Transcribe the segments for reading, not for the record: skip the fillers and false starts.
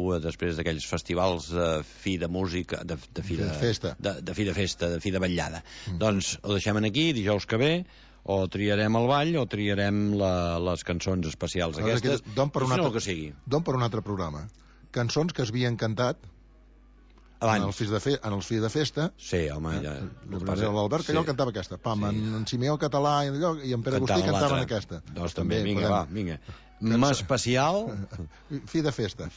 beguda després d'aquells festivals de fi de música, de fi de festa, de fi de vetllada. Doncs ho deixem aquí, dijous que ve, o triarem el ball o triarem les cançons especials aquestes, don per el que sigui. Don per un altre programa. Cançons que es havien cantat abans. En els fills de festa. Sí, home, ja... L'Albert Callol cantava aquesta. En Simeó Català i en Pere Agustí cantaven aquesta. Doncs també, vinga. M'especial... Fi de festa.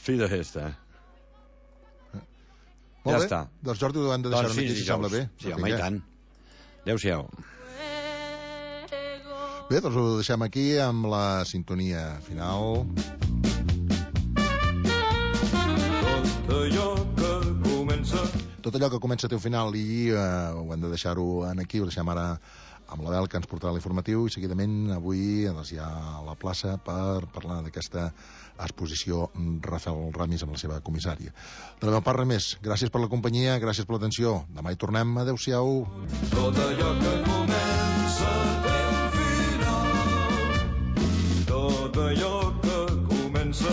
Ja està. Doncs Jordi, ho hem de deixar aquí, si sembla bé. Sí, home, i tant. Adéu-siau. Bé, doncs ho deixem aquí amb la sintonia final. Tot allò que comença té un final i ho hem de deixar-ho aquí, ho deixem ara amb l'Abel, que ens portarà l'informatiu, i seguidament avui hi ha a la plaça per parlar d'aquesta exposició Rafael Ramis amb la seva comissària. De la meva part, res més. Gràcies per la companyia, gràcies per l'atenció. Demà hi tornem. Adéu-siau. Tot allò que comença té un final. Tot allò que comença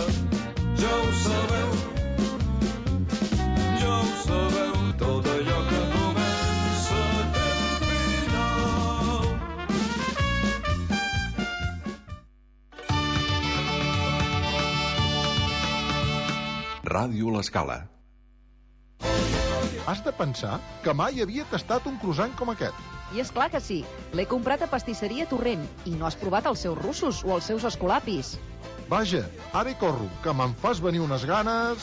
ja ho sabeu. Ja ho sabeu. Tot allò que comença té un final. Ràdio L'Escala. Has de pensar que mai havia tastat un croissant com aquest. I és clar que sí. L'he comprat a Pastisseria Torrent i no has provat els seus russos o els seus escolapis. Vaja, ara hi corro, que me'n fas venir unes ganes...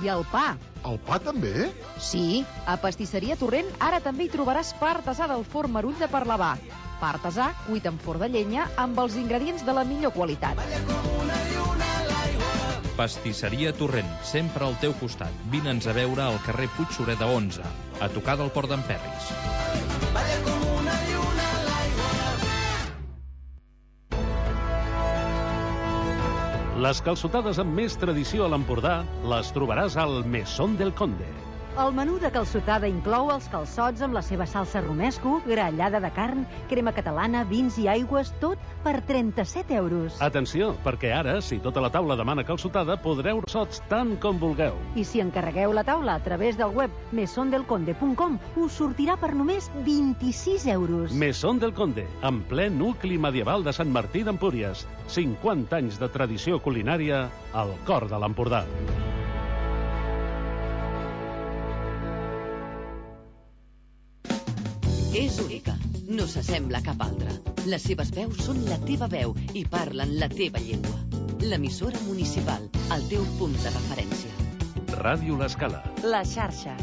I el pa. El pa també? Sí, a Pastisseria Torrent ara també hi trobaràs pa artesà del forn Marull de Parlavà. Pa artesà cuit en forn de llenya amb els ingredients de la millor qualitat. Pastisseria Torrent, sempre al teu costat. Vine'ns a veure al carrer Puig Sureda 11, a tocar del Port d'en Perris. Les calçotades amb més tradició a l'Empordà les trobaràs al Mesón del Conde. El menú de calçotada inclou els calçots amb la seva salsa romesco, grallada de carn, crema catalana, vins i aigües, tot per 37 euros. Atenció, perquè ara, si tota la taula demana calçotada, podreu calçots tant com vulgueu. I si encarregueu la taula a través del web mesondelconde.com, us sortirà per només 26 euros. Mesón del Conde, en ple nucli medieval de Sant Martí d'Empúries. 50 anys de tradició culinària al cor de l'Empordà. És única, no s'assembla a cap altra. Les seves veus són la teva veu i parlen la teva llengua. L'emissora municipal, el teu punt de referència. Ràdio L'Escala. La xarxa.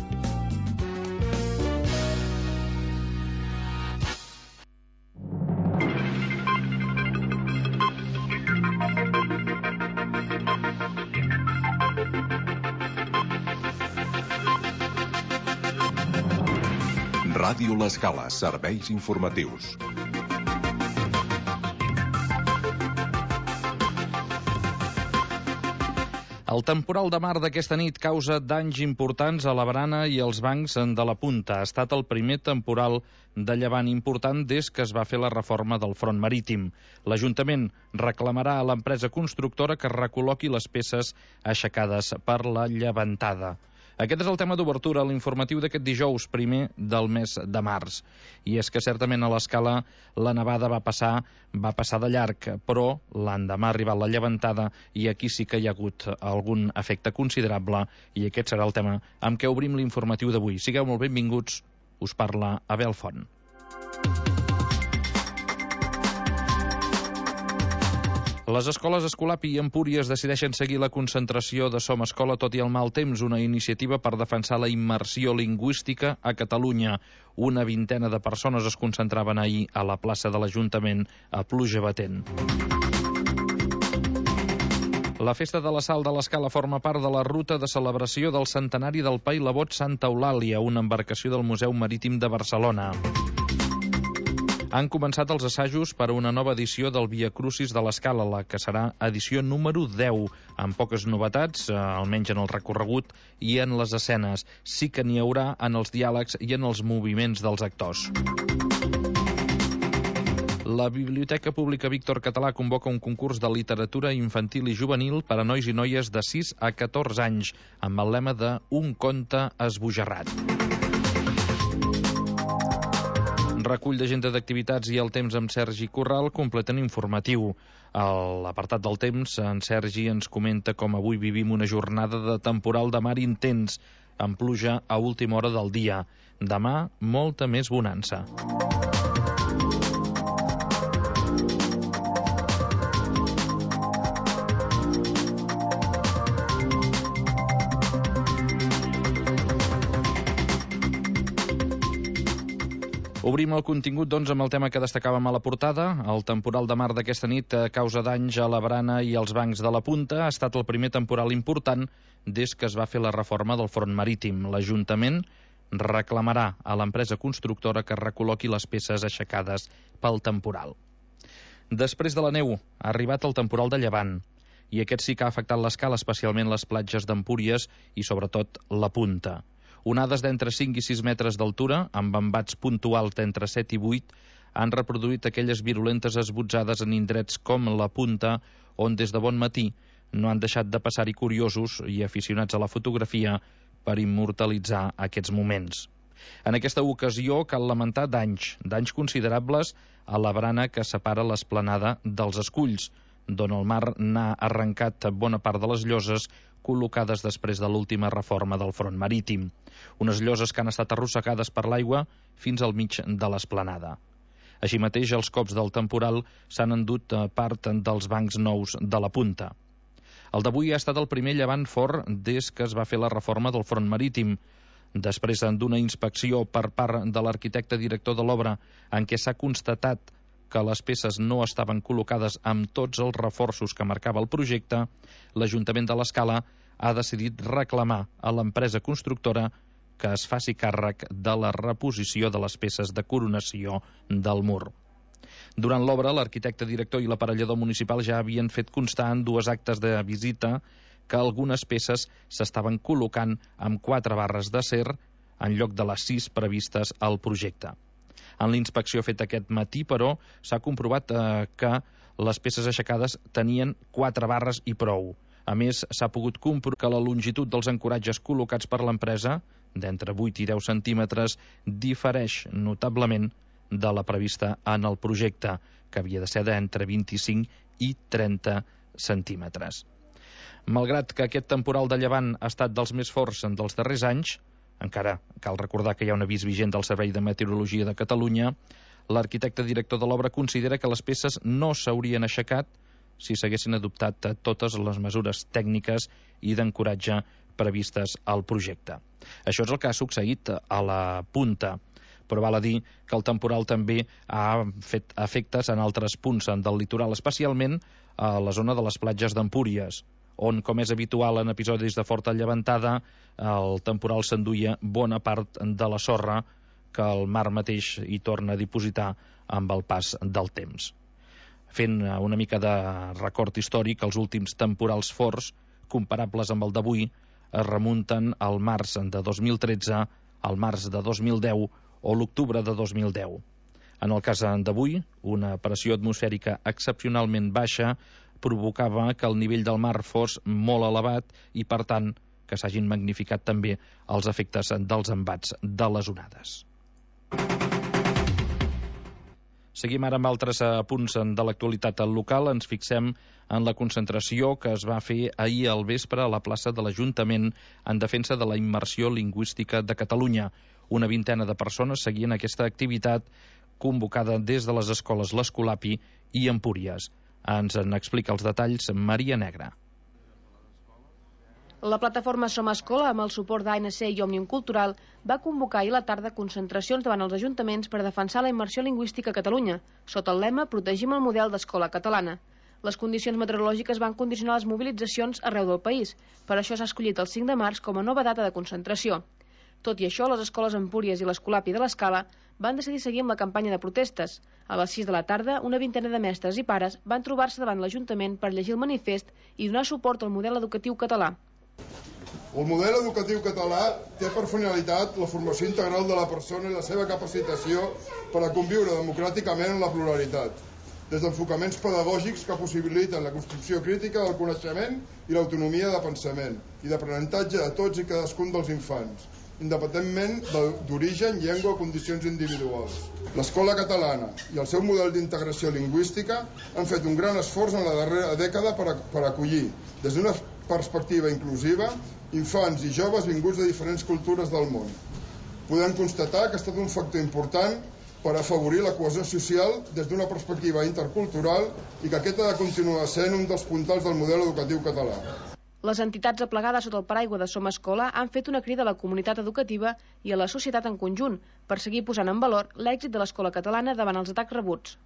Ràdio L'Escala, serveis informatius. El temporal de mar d'aquesta nit causa danys importants a la barana i als bancs de la punta. Ha estat el primer temporal de llevant important des que es va fer la reforma del front marítim. L'Ajuntament reclamarà a l'empresa constructora que recol·loqui les peces aixecades per la llevantada. Aquest és el tema d'obertura a l'informatiu d'aquest dijous, primer del mes de març. I és que certament a l'Escala la nevada va passar de llarg, però l'endemà ha arribat la llevantada i aquí sí que hi ha hagut algun efecte considerable i aquest serà el tema amb què obrim l'informatiu d'avui. Sigueu molt benvinguts, us parla Abel Font. Les escoles Escolapi i Empúries decideixen seguir la concentració de Som Escola tot i el mal temps, una iniciativa per defensar la immersió lingüística a Catalunya. Una vintena de persones es concentraven ahir a la plaça de l'Ajuntament a pluja batent. La Festa de la Sal de l'Escala forma part de la ruta de celebració del centenari del Pa i la Bot Santa Eulàlia, una embarcació del Museu Marítim de Barcelona. Han començat els assajos per a una nova edició del Via Crucis de l'Escala, la que serà edició número 10, amb poques novetats, almenys en el recorregut i en les escenes. Sí que n'hi haurà en els diàlegs i en els moviments dels actors. La Biblioteca Pública Víctor Català convoca un concurs de literatura infantil i juvenil per a nois i noies de 6 a 14 anys, amb el lema de Un conte esbojarrat. Recull d'agenda d'activitats i el temps amb Sergi Corral completen informatiu. A l'apartat del temps, en Sergi ens comenta com avui vivim una jornada de temporal de mar intens, amb pluja a última hora del dia. Demà, molta més bonança. Obrim el contingut, doncs, amb el tema que destacàvem a la portada. El temporal de mar d'aquesta nit causa danys a la barana i als bancs de la punta. Ha estat el primer temporal important des que es va fer la reforma del front marítim. L'Ajuntament reclamarà a l'empresa constructora que recol·loqui les peces aixecades pel temporal. Després de la neu, ha arribat el temporal de llevant, i aquest sí que ha afectat l'escala, especialment les platges d'Empúries i, sobretot, la punta. Onades d'entre 5 i 6 metres d'altura, amb embats puntuals d'entre 7 i 8, han reproduït aquelles virulentes esbotzades en indrets com la punta, on des de bon matí no han deixat de passar-hi curiosos i aficionats a la fotografia per immortalitzar aquests moments. En aquesta ocasió cal lamentar danys considerables a la barana que separa l'esplanada dels Esculls, d'on el mar n'ha arrencat bona part de les lloses col·locades després de l'última reforma del front marítim. Unes lloses que han estat arrossegades per l'aigua fins al mig de l'esplanada. Així mateix, els cops del temporal s'han endut part dels bancs nous de la punta. El d'avui ha estat el primer llevant fort des que es va fer la reforma del front marítim. Després d'una inspecció per part de l'arquitecte director de l'obra en què s'ha constatat que les peces no estaven col·locades amb tots els reforços que marcava el projecte, l'Ajuntament de l'Escala ha decidit reclamar a l'empresa constructora que es faci càrrec de la reposició de les peces de coronació del mur. Durant l'obra, l'arquitecte director i l'aparellador municipal ja havien fet constar en 2 actes de visita que algunes peces s'estaven col·locant amb 4 barres d'acer en lloc de les 6 previstes al projecte. En la inspecció feta aquest matí, però, s'ha comprovat que les peces aixecades tenien 4 barres i prou. A més, s'ha pogut comprovar que la longitud dels ancoratges col·locats per l'empresa, d'entre 8 i 10 centímetres, difereix notablement de la prevista en el projecte, que havia de ser d'entre 25 i 30 centímetres. Malgrat que aquest temporal de llevant ha estat dels més forts dels darrers anys, encara cal recordar que hi ha un avís vigent del Servei de Meteorologia de Catalunya, l'arquitecte director de l'obra considera que les peces no s'haurien aixecat si s'haguessin adoptat totes les mesures tècniques i d'ancoratge previstes al projecte. Això és el que ha succeït a la punta, però val a dir que el temporal també ha fet efectes en altres punts del litoral, especialment a la zona de les platges d'Empúries, on, com és habitual en episodis de forta llevantada, el temporal s'enduia bona part de la sorra que el mar mateix hi torna a dipositar amb el pas del temps. Fent una mica de record històric, els últims temporals forts, comparables amb el d'avui, es remunten al març de 2013, al març de 2010 o l'octubre de 2010. En el cas d'avui, una pressió atmosfèrica excepcionalment baixa provocava que el nivell del mar fos molt elevat i, per tant, que s'hagin magnificat també els efectes dels embats de les onades. Seguim ara amb altres punts de l'actualitat local. Ens fixem en la concentració que es va fer ahir al vespre a la plaça de l'Ajuntament en defensa de la immersió lingüística de Catalunya. Una vintena de persones seguien aquesta activitat convocada des de les escoles l'Escolapi i Empúries. Ens en explica els detalls Maria Negra. La plataforma Som Escola, amb el suport d'ANC i Òmnium Cultural, va convocar ahir a la tarda concentracions davant els ajuntaments per defensar la immersió lingüística a Catalunya, sota el lema Protegim el model d'escola catalana. Les condicions meteorològiques van condicionar les mobilitzacions arreu del país, per això s'ha escollit el 5 de març com a nova data de concentració. Tot i això, les escoles Empúries i l'Escolapi de l'Escala van decidir seguir amb la campanya de protestes. A les 6 de la tarda, una vintena de mestres i pares van trobar-se davant l'Ajuntament per llegir el manifest i donar suport al model educatiu català. El model educatiu català té per finalitat la formació integral de la persona i la seva capacitació per a conviure democràticament en la pluralitat, des d'enfocaments pedagògics que possibiliten la construcció crítica del coneixement i l'autonomia de pensament i d'aprenentatge de tots i cadascun dels infants, independentment d'origen, llengua o condicions individuals. L'escola catalana i el seu model d'integració lingüística han fet un gran esforç en la darrera dècada per acollir, des d'una perspectiva inclusiva, infants i joves vinguts de diferents cultures del món. Podem constatar que ha estat un factor important per afavorir la cohesió social des d'una perspectiva intercultural i que aquest ha de continuar sent un dels puntals del model educatiu català. Les entitats aplegades sota el paraigua de Som Escola han fet una crida a la comunitat educativa i a la societat en conjunt per seguir posant en valor l'èxit de l'escola catalana davant els atacs rebuts.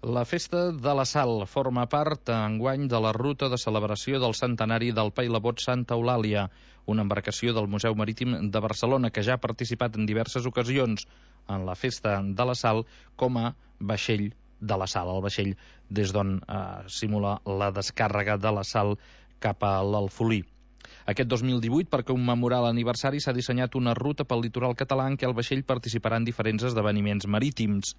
La Festa de la Sal forma part enguany de la ruta de celebració del centenari del Pailabot Santa Eulàlia, una embarcació del Museu Marítim de Barcelona que ja ha participat en diverses ocasions en la Festa de la Sal com a vaixell de la sal, el vaixell des d'on simula la descàrrega de la sal cap a l'Alfolí. Aquest 2018, per commemorar l'aniversari, s'ha dissenyat una ruta pel litoral català en què el vaixell participarà en diferents esdeveniments marítims.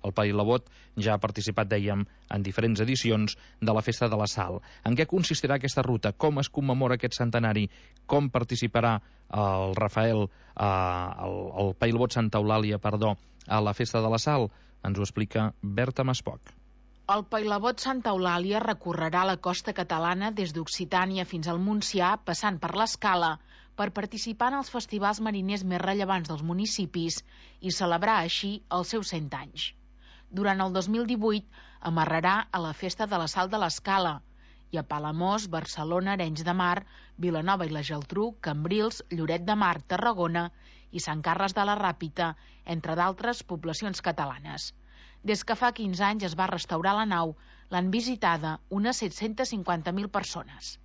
El Pailabot ja ha participat, dèiem, en diferents edicions de la Festa de la Sal. En què consistirà aquesta ruta? Com es commemora aquest centenari? Com participarà el Rafael, el Pailabot Santa Eulàlia, a la Festa de la Sal? Ens ho explica Berta Maspoc. El Pailabot Santa Eulàlia recorrerà la costa catalana des d'Occitània fins al Montsià, passant per l'Escala, per participar en els festivals mariners més rellevants dels municipis i celebrar així els seus 100 anys. Durant el 2018 amarrarà a la Festa de la Sal de l'Escala i a Palamós, Barcelona, Arenys de Mar, Vilanova i la Geltrú, Cambrils, Lloret de Mar, Tarragona i Sant Carles de la Ràpita, entre d'altres poblacions catalanes. Des que fa 15 anys es va restaurar la nau, l'han visitada unes 750.000 persones.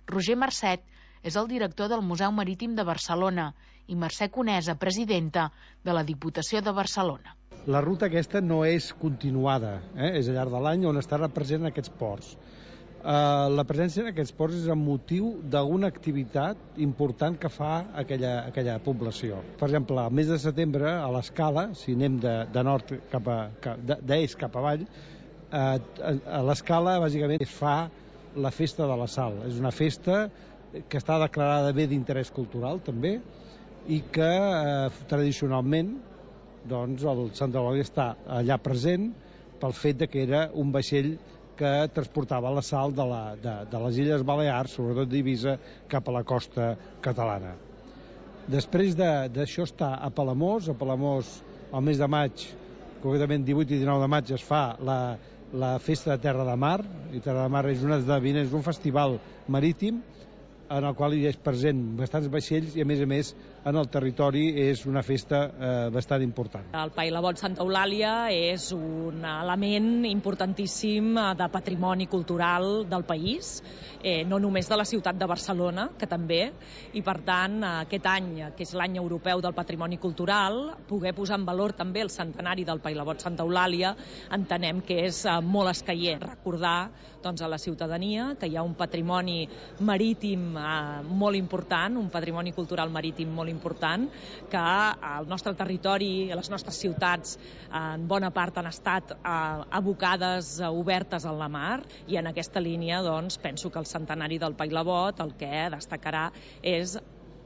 Roger Marcet és el director del Museu Marítim de Barcelona i Mercè Conesa, presidenta de la Diputació de Barcelona. La ruta aquesta no és continuada, és al llarg de l'any on estarà present en aquests ports. La presència en aquests ports és amb motiu d'una activitat important que fa aquella població. Per exemple, al mes de setembre, a l'Escala, si anem de nord d'est cap avall, a l'Escala bàsicament es fa la Festa de la Sal. És una festa que està declarada bé d'interès cultural també i que tradicionalment doncs el Santa Eulàlia està allà present pel fet que era un vaixell que transportava la sal de les Illes Balears, sobretot d'Eivissa, cap a la costa catalana. Després d'això està a Palamós. A Palamós, al mes de maig, concretament 18 i 19 de maig, es fa la Festa de Terra de Mar, i Terra de Mar és un esdeveniment, és un festival marítim en el qual hi és present bastants vaixells i, a més, en el territori és una festa bastant important. El Pailabot Santa Eulàlia és un element importantíssim de patrimoni cultural del país, no només de la ciutat de Barcelona, que també, i per tant aquest any, que és l'any europeu del patrimoni cultural, poder posar en valor també el centenari del Pailabot Santa Eulàlia, entenem que és molt escaient. Recordar a la ciutadania que hi ha un patrimoni marítim molt important, un patrimoni cultural marítim molt important, que el nostre territori, les nostres ciutats, en bona part han estat abocades, obertes a la mar, i en aquesta línia penso que el centenari del Pailabot el que destacarà és,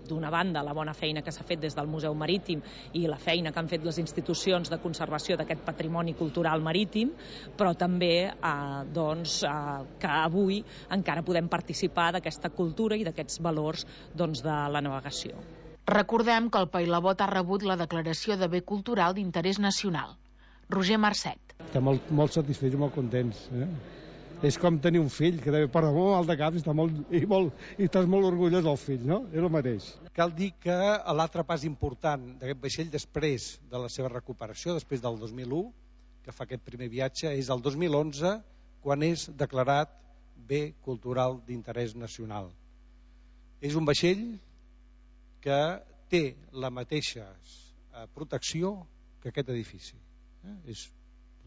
d'una banda, la bona feina que s'ha fet des del Museu Marítim i la feina que han fet les institucions de conservació d'aquest patrimoni cultural marítim, però també que avui encara podem participar d'aquesta cultura i d'aquests valors de la navegació. Recordem que el Pailabot ha rebut la declaració de bé cultural d'interès nacional. Roger Marcet. Estem molt satisfets i molt contents. És com tenir un fill que deve portar molt mal de cap i estàs molt orgullós del fill, no? És el mateix. Cal dir que l'altre pas important d'aquest vaixell després de la seva recuperació, després del 2001, que fa aquest primer viatge, és el 2011, quan és declarat bé cultural d'interès nacional. És un vaixell que té la mateixa protecció que aquest edifici.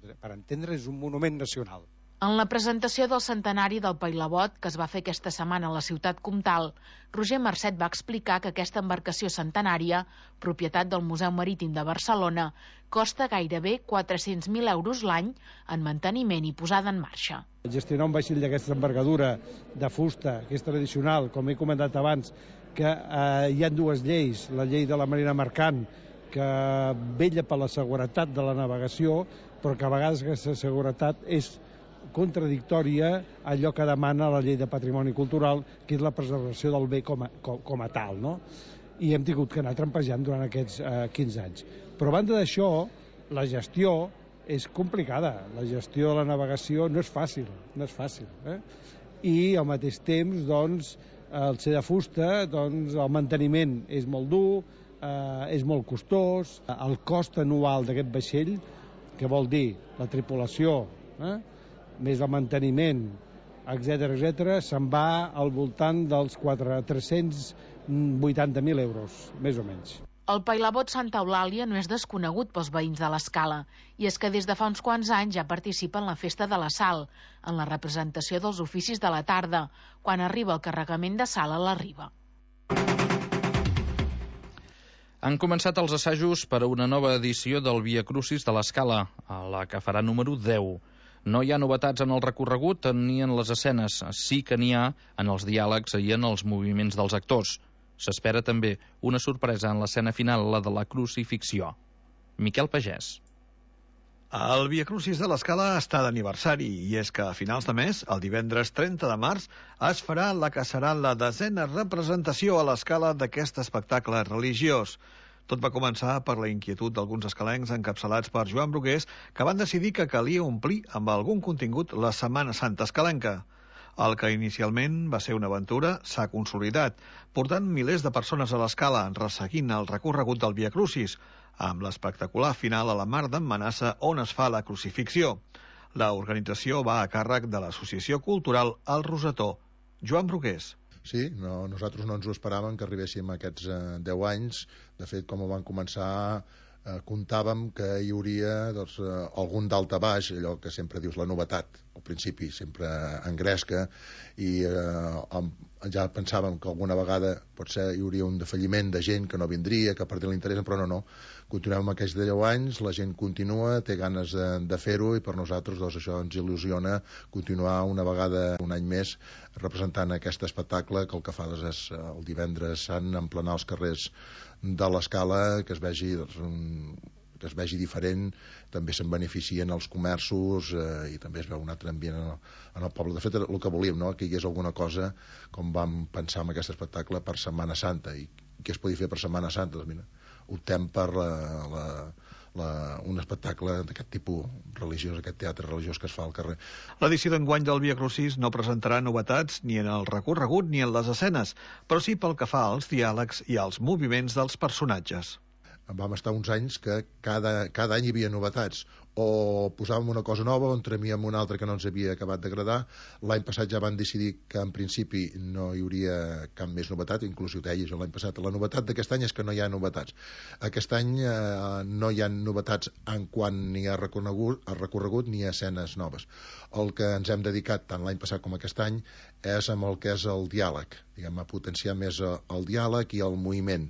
Per entendre, és un monument nacional. En la presentació del centenari del Pailabot, que es va fer aquesta setmana a la ciutat comtal, Roger Marcet va explicar que aquesta embarcació centenària, propietat del Museu Marítim de Barcelona, costa gairebé 400.000 euros l'any en manteniment i posada en marxa. Gestionar un vaixell d'aquesta envergadura de fusta, que és tradicional, com he comentat abans, que hi ha dues lleis, la llei de la marina mercant, que vetlla per la seguretat de la navegació, però que a vegades aquesta seguretat és contradictòria a allò que demana la llei de patrimoni cultural, que és la preservació del bé com a tal, no? I hem tingut que anar trampejant durant aquests 15 anys. Però a banda d'això, la gestió és complicada. La gestió de la navegació no és fàcil, I al mateix temps, doncs, el ser de fusta, doncs, el manteniment és molt dur, és molt costós. El cost anual d'aquest vaixell, que vol dir la tripulació, més el manteniment, etc., se'n va al voltant dels 380.000 euros, més o menys. El Pailabot Santa Eulàlia no és desconegut pels veïns de l'Escala, i és que des de fa uns quants anys ja participa en la Festa de la Sal, en la representació dels oficis de la tarda, quan arriba el carregament de sal a la riba. Han començat els assajos per a una nova edició del Via Crucis de l'Escala, a la que farà número 10. No hi ha novetats en el recorregut ni en les escenes, sí que n'hi ha en els diàlegs i en els moviments dels actors. S'espera també una sorpresa en l'escena final, la de la crucifixió. Miquel Pagès. El Via Crucis de l'Escala està d'aniversari, i és que a finals de mes, el divendres 30 de març, es farà la que serà la 10a representació a l'Escala d'aquest espectacle religiós. Tot va començar per la inquietud d'alguns escalencs encapçalats per Joan Brugués, que van decidir que calia omplir amb algun contingut la Setmana Santa escalenca. El que inicialment va ser una aventura s'ha consolidat, portant milers de persones a l'Escala, resseguint el recorregut del Via Crucis, amb l'espectacular final a la Mar d'en Manassa, on es fa la crucifixió. La organització va a càrrec de l'Associació Cultural El Rosetó. Joan Brugués. Sí, nosaltres no ens ho esperàvem que arribéssim a aquests 10 anys. De fet, com ho van començar, comptàvem que hi hauria algun dalt a baix, allò que sempre dius la novetat. Al principi sempre engresca, i ja pensàvem que alguna vegada potser hi hauria un defalliment de gent que no vindria, que perdria l'interès, però no. Continuem amb aquests 10 anys, la gent continua, té ganes de fer-ho, i per nosaltres això ens il·lusiona continuar una vegada, un any més, representant aquest espectacle, que el que fa és el divendres sant emplenar els carrers de l'Escala, que es vegi diferent. També se'n beneficien els comerços, i també es veu un altre ambient en el poble. De fet, el que volíem, que hi hagués alguna cosa, com vam pensar en aquest espectacle, per Setmana Santa. I què es podia fer per Setmana Santa? Doncs mira, optem per un espectacle d'aquest tipus religiós, aquest teatre religiós que es fa al carrer. L'edició d'enguany del Via Crucis no presentarà novetats ni en el recorregut ni en les escenes, però sí pel que fa als diàlegs i als moviments dels personatges. Vam estar uns anys que cada any hi havia novetats, o posàvem una cosa nova o entremíem una altra que no ens havia acabat d'agradar. L'any passat ja van decidir que en principi no hi hauria cap més novetat, inclús ho deia jo l'any passat. La novetat d'aquest any és que no hi ha novetats. Aquest any no hi ha novetats en quant ni a recorregut ni a escenes noves. El que ens hem dedicat tant l'any passat com aquest any és amb el que és el diàleg, a potenciar més el diàleg i el moviment.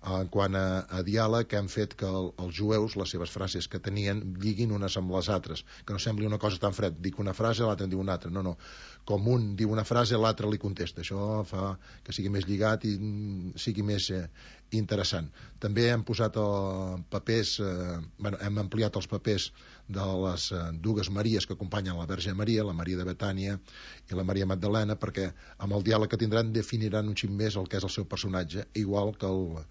En quant a diàleg, hem fet que els jueus, les seves frases que tenien, lliguin unes amb les altres, que no sembli una cosa tan fred, dic una frase, l'altre en diu una altra. No, com un diu una frase, l'altre li contesta. Això fa que sigui més lligat i sigui més interessant. També hem posat papers, hem ampliat els papers de les dues Maries que acompanyen la Verge Maria, la Maria de Betània i la Maria Magdalena, perquè amb el diàleg que tindran definiran un xic més el que és el seu personatge, igual que el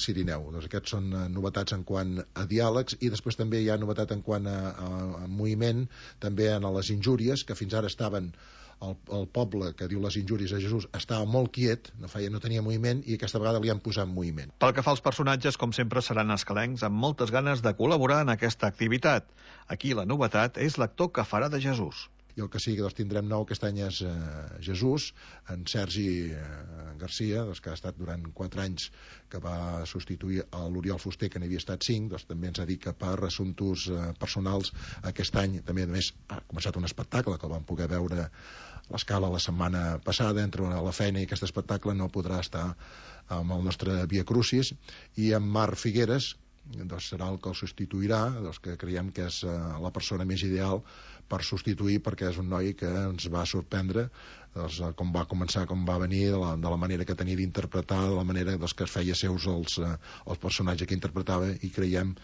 Cirineu. Doncs aquests són novetats en quant a diàlegs, i després també hi ha novetat en quant a moviment, també en les injúries, que fins ara estaven el poble que diu les injúries a Jesús estava molt quiet, no tenia moviment, i aquesta vegada li han posat moviment. Pel que fa als personatges, com sempre, seran escalencs amb moltes ganes de col·laborar en aquesta activitat. Aquí la novetat és l'actor que farà de Jesús. i el que sí que tindrem nou aquest any és Jesús, en Sergi Garcia, que ha estat durant 4 anys, que va substituir a l'Oriol Fuster, que n'havia estat 5, també ens ha dit que per assumptes personals aquest any també a més ha començat un espectacle que el vam poder veure a l'Escala la setmana passada. Entre la feina i aquest espectacle no podrà estar amb el nostre Via Crucis, i en Marc Figueres serà el que el substituirà, que creiem que és la persona més ideal per substituir, perquè és un noi que ens va sorprendre com va començar, com va venir, de la manera que tenia d'interpretar, de la manera que es feia seus els personatges que interpretava, i creiem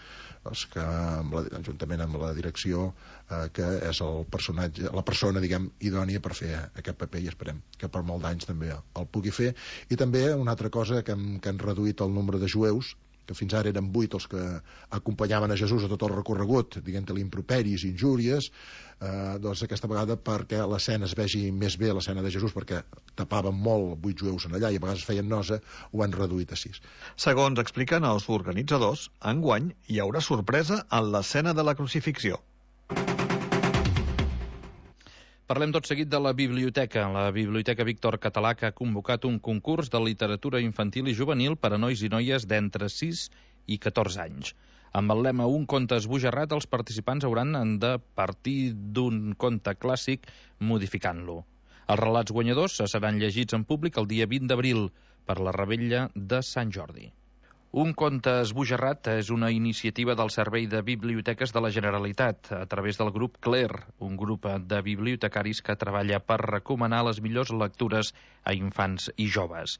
que juntament amb la direcció que és la persona idònia per fer aquest paper, i esperem que per molts anys també el pugui fer. I també una altra cosa, que han reduït el nombre de jueus, que fins ara eren 8 els que acompanyaven a Jesús a tot el recorregut, diguem-ne improperis, injúries, doncs aquesta vegada, perquè l'escena es vegi més bé, l'escena de Jesús, perquè tapaven molt 8 jueus en allà i a vegades feien nosa, ho han reduït a 6. Segons expliquen els organitzadors, enguany hi haurà sorpresa en l'escena de la crucifixió. Parlem tot seguit de la biblioteca. La Biblioteca Víctor Català, que ha convocat un concurs de literatura infantil i juvenil per a nois i noies d'entre 6 i 14 anys. Amb el lema Un conte esbojarrat, els participants hauran de partir d'un conte clàssic modificant-lo. Els relats guanyadors seran llegits en públic el dia 20 d'abril per la revetlla de Sant Jordi. Un conte esbojarrat és una iniciativa del Servei de Biblioteques de la Generalitat a través del grup CLER, un grup de bibliotecaris que treballa per recomanar les millors lectures a infants i joves.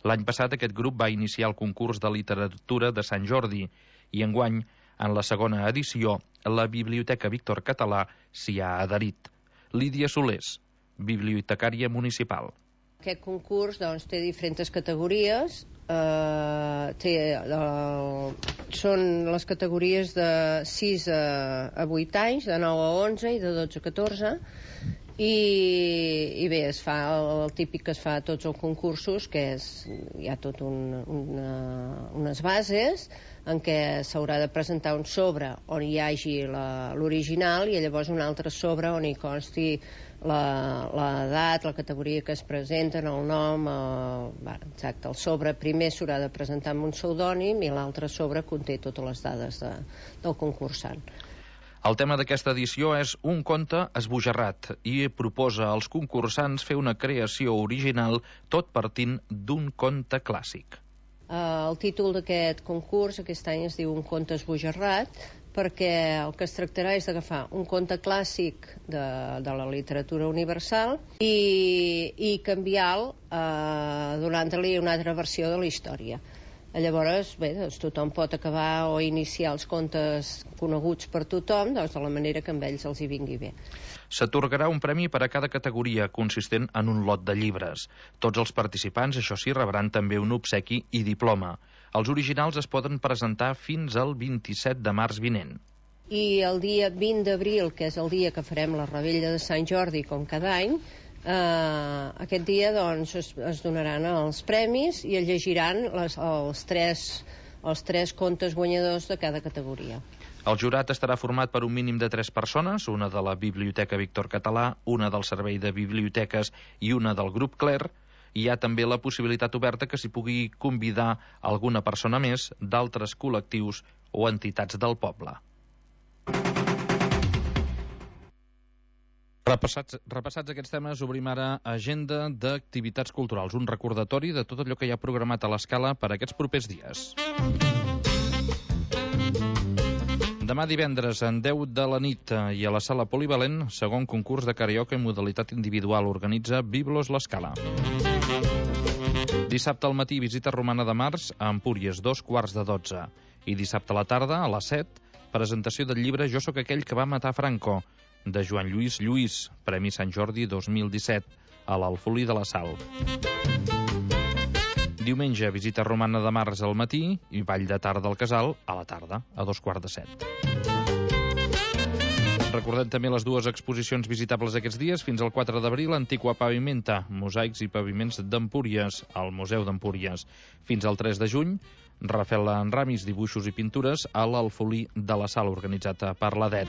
L'any passat aquest grup va iniciar el concurs de literatura de Sant Jordi i enguany, en la segona edició, la Biblioteca Víctor Català s'hi ha adherit. Lídia Solés, bibliotecària municipal. Aquest concurs té diferents categories. Són les categories de 6 a 8 anys, de 9 a 11 i de 12 a 14, i bé, es fa el típic que es fa a tots els concursos, que hi ha tot unes bases en què s'haurà de presentar un sobre on hi hagi l'original i llavors un altre sobre on hi consti l'edat, la categoria que es presenten, el nom, exacte. El sobre primer s'haurà de presentar amb un pseudònim i l'altre sobre conté totes les dades del concursant. El tema d'aquesta edició és Un conte esbojarrat i proposa als concursants fer una creació original tot partint d'un conte clàssic. El títol d'aquest concurs aquest any es diu Un conte esbojarrat, perquè el que es tractarà és d'agafar un conte clàssic de la literatura universal i canviar-lo donant-li una altra versió de la història. Llavors, bé, tothom pot acabar o iniciar els contes coneguts per tothom de la manera que amb ells els hi vingui bé. S'atorgarà un premi per a cada categoria, consistent en un lot de llibres. Tots els participants, això sí, rebran també un obsequi i diploma. Els originals es poden presentar fins al 27 de març vinent. I el dia 20 d'abril, que és el dia que farem la revetlla de Sant Jordi, com cada any, aquest dia doncs, es donaran els premis i es llegiran els tres contes guanyadors de cada categoria. El jurat estarà format per un mínim de 3 persones, una de la Biblioteca Víctor Català, una del Servei de Biblioteques i una del grup CLER. Hi ha també la possibilitat oberta que s'hi pugui convidar alguna persona més d'altres col·lectius o entitats del poble. Repassats aquests temes, obrim ara agenda d'activitats culturals, un recordatori de tot allò que hi ha programat a l'Escala per aquests propers dies. Demà divendres, en 10 de la nit i a la sala polivalent, segon concurs de karaoke en modalitat individual, organitza Biblos l'Escala. Dissabte al matí, visita romana de març a Empúries, 2:15. I dissabte a la tarda, a les 7, presentació del llibre Jo sóc aquell que va matar Franco, de Joan Lluís Lluís, Premi Sant Jordi 2017, a l'Alfolí de la Sal. Diumenge, visita romana de març al matí i ball de tarda al Casal a la tarda, a 6:45. Recordem també les dues exposicions visitables aquests dies. Fins al 4 d'abril, Antiqua Pavimenta, mosaics i paviments d'Empúries, al Museu d'Empúries. Fins al 3 de juny, Rafael en Ramis, dibuixos i pintures a l'Alfolí de la Sal, organitzat per l'ADET.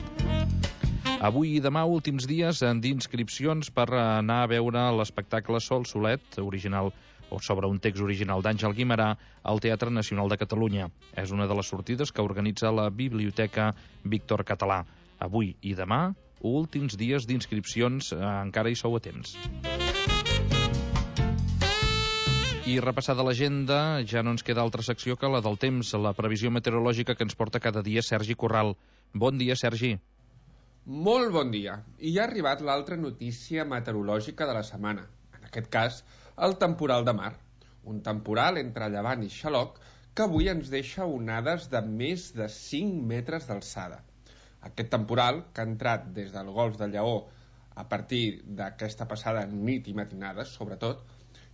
Avui i demà, últims dies d'inscripcions per anar a veure l'espectacle Sol Solet, original o sobre un text original d'Àngel Guimerà, al Teatre Nacional de Catalunya. És una de les sortides que organitza la Biblioteca Víctor Català. Avui i demà, últims dies d'inscripcions, encara hi sou a temps. I repassada l'agenda, ja no ens queda altra secció que la del temps, la previsió meteorològica que ens porta cada dia Sergi Corral. Bon dia, Sergi. Molt bon dia. I ja ha arribat l'altra notícia meteorològica de la setmana. En aquest cas, el temporal de mar. Un temporal entre Llevant i Xaloc que avui ens deixa onades de més de 5 metres d'alçada. Aquest temporal, que ha entrat des del Golf de Lleó a partir d'aquesta passada nit i matinada, sobretot,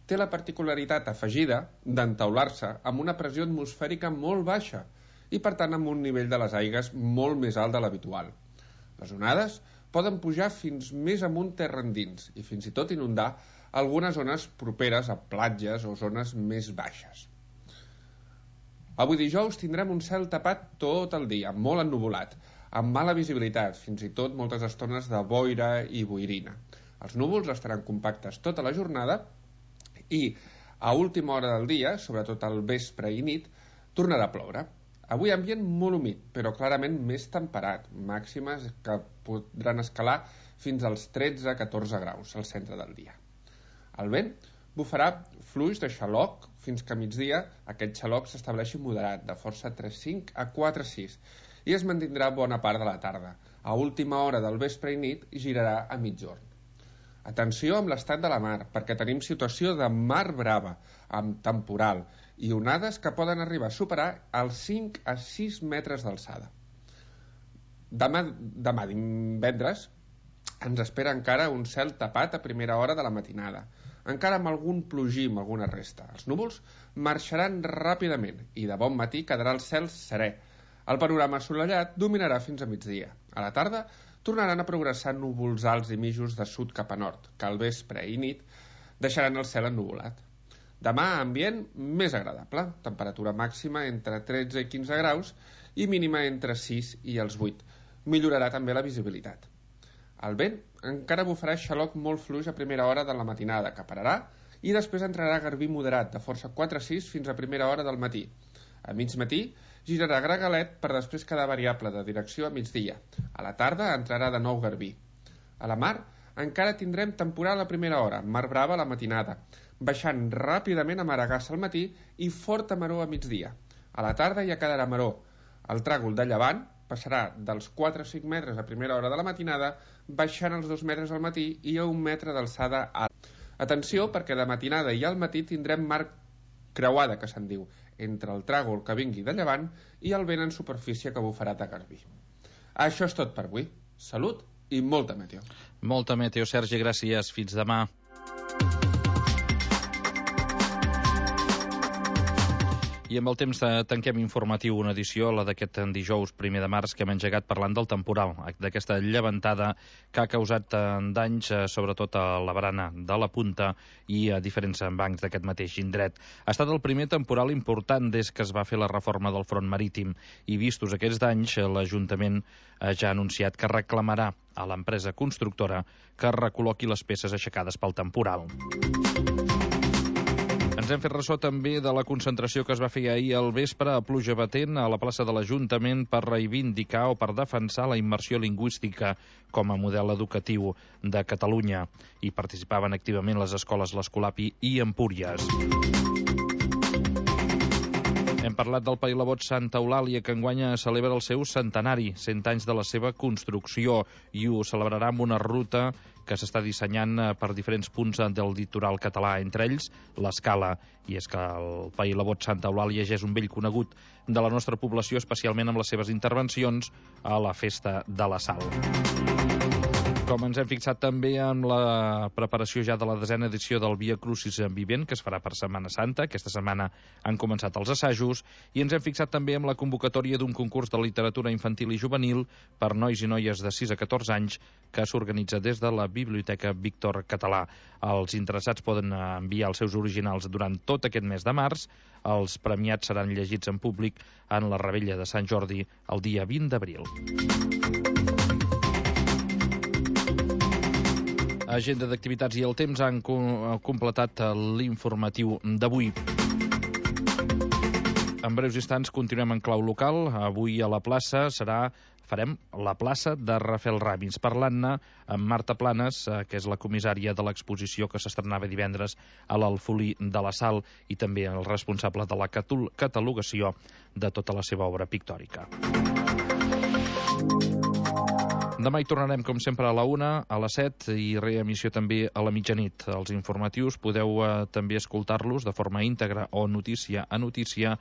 té la particularitat afegida d'entaular-se amb una pressió atmosfèrica molt baixa i, per tant, amb un nivell de les aigües molt més alt de l'habitual. Les onades poden pujar fins més amunt terra endins i fins i tot inundar algunes zones properes a platges o zones més baixes. Avui dijous tindrem un cel tapat tot el dia, molt ennuvolat, amb mala visibilitat, fins i tot moltes estones de boira i boirina. Els núvols estaran compactes tota la jornada i a última hora del dia, sobretot al vespre i nit, tornarà a ploure. Avui ambient molt humit, però clarament més temperat, màximes que podran escalar fins als 13-14 graus al centre del dia. El vent bufarà fluix de xaloc fins que a migdia aquest xaloc s'estableixi moderat, de força 3,5 a 4,6, i es mantindrà bona part de la tarda. A última hora del vespre i nit girarà a migjorn. Atenció amb l'estat de la mar, perquè tenim situació de mar brava, amb temporal, i onades que poden arribar a superar els 5 a 6 metres d'alçada. Demà divendres ens espera encara un cel tapat a primera hora de la matinada, encara amb algun plogí, amb alguna resta. Els núvols marxaran ràpidament i de bon matí quedarà el cel serè. El panorama assolellat dominarà fins a migdia. A la tarda tornaran a progressar núvols alts i mitjos de sud cap a nord, que al vespre i nit deixaran el cel ennuvolat. Demà, ambient més agradable, temperatura màxima entre 13 i 15 graus i mínima entre 6 i els 8. Millorarà també la visibilitat. El vent encara bufarà xaloc molt fluix a primera hora de la matinada, que pararà, i després entrarà garbí moderat, de força 4-6 fins a primera hora del matí. A mig matí girarà gregalet per després quedar variable de direcció a migdia. A la tarda entrarà de nou garbí. A la mar encara tindrem temporal a primera hora, mar brava a la matinada, baixant ràpidament a Maragassa al matí i forta maror a migdia. A la tarda ja quedarà maror. El tràgol de llevant passarà dels 4 a 5 metres a primera hora de la matinada, baixant els 2 metres al matí i a 1 metre d'alçada alt. Atenció, perquè de matinada i al matí tindrem mar creuada, que se'n diu, entre el tràgol que vingui de llevant i el vent en superfície que bufarà de garbí. Això és tot per avui. Salut i molta meteo. Molta meteo, Sergi, gràcies. Fins demà. I amb el temps tanquem informatiu una edició, la d'aquest dijous 1 de març, que hem engegat parlant del temporal, d'aquesta llevantada que ha causat danys, sobretot a la barana de la Punta i a diferents bancs d'aquest mateix indret. Ha estat el primer temporal important des que es va fer la reforma del front marítim i, vistos aquests danys, l'Ajuntament ja ha anunciat que reclamarà a l'empresa constructora que recol·loqui les peces aixecades pel temporal. Ens hem fet ressò també de la concentració que es va fer ahir al vespre a pluja batent a la plaça de l'Ajuntament per reivindicar o per defensar la immersió lingüística com a model educatiu de Catalunya. Hi participaven activament les escoles l'Escolapi i Empúries. Hem parlat del Pailabot Santa Eulàlia, que enguany celebra el seu centenari, 100 anys de la seva construcció, i ho celebrarà amb una ruta que s'està dissenyant per diferents punts del litoral català, entre ells l'Escala. I és que el Pailabot Santa Eulàlia ja és un vell conegut de la nostra població, especialment amb les seves intervencions a la Festa de la Sal. Com ens hem fixat també amb la preparació ja de la 10a edició del Via Crucis Vivent, que es farà per Setmana Santa. Aquesta setmana han començat els assajos, i ens hem fixat també amb la convocatòria d'un concurs de literatura infantil i juvenil per nois i noies de 6 a 14 anys que s'organitza des de la Biblioteca Víctor Català. Els interessats poden enviar els seus originals durant tot aquest mes de març. Els premiats seran llegits en públic en la Revetlla de Sant Jordi el dia 20 d'abril. agenda d'activitats i el temps han completat l'informatiu d'avui. En breus instants continuem en clau local. Avui a la plaça farem la plaça de Rafael Ramis, parlant-ne amb Marta Planes, que és la comissària de l'exposició que s'estrenava divendres a l'Alfolí de la Sal i també el responsable de la catalogació de tota la seva obra pictòrica. Demà hi tornarem, com sempre, a la 1, a les 7 i reemissió també a la mitjanit. Els informatius podeu també escoltar-los de forma íntegra o notícia a notícia